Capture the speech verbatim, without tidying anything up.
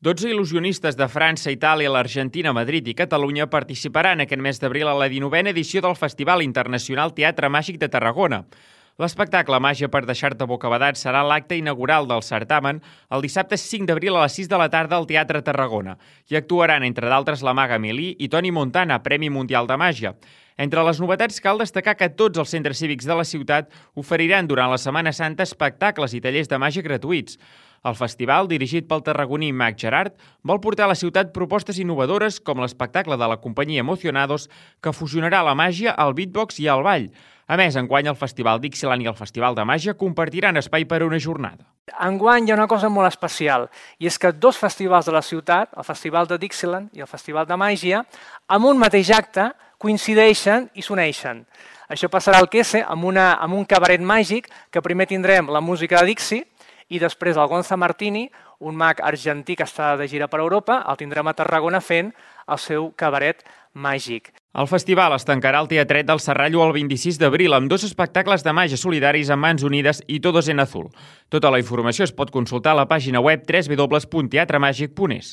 dotze il·lusionistes de França, Itàlia, l'Argentina, Madrid i Catalunya participaran aquest mes d'abril a la dinovena edició del Festival Internacional Teatre Màgic de Tarragona. L'espectacle Màgia per deixar-te bocabadat serà l'acte inaugural del certamen el dissabte cinc d'abril a les sis de la tarda al Teatre Tarragona. Hi actuaran, entre d'altres, la maga Amélie i Toni Montana, Premi Mundial de Màgia. Entre les novetats cal destacar que tots els centres cívics de la ciutat oferiran durant la Setmana Santa espectacles i tallers de màgia gratuïts. El festival, dirigit pel tarragoní Mag Gerard, vol portar a la ciutat propostes innovadores com l'espectacle de la companyia Emocionados, que fusionarà la màgia, el beatbox i el ball. A més, enguany el Festival Dixieland i el Festival de Màgia compartiran espai per a una jornada. Enguany hi ha una cosa molt especial, i és que dos festivals de la ciutat, el Festival de Dixieland i el Festival de Màgia, amb un mateix acte coincideixen i s'uneixen. Això passarà al Quese amb, una, amb un cabaret màgic que primer tindrem la música de Dixie i després el Gonza Martini, un mag argentí que està de gira per Europa, el tindrem a Tarragona fent el seu cabaret màgic. El festival es tancarà al Teatret del Serrallo el vint-i-sis d'abril amb dos espectacles de màgia solidaris amb Mans Unides i Todos en Azul. Tota la informació es pot consultar a la pàgina web w w w punt teatre màgic punt es.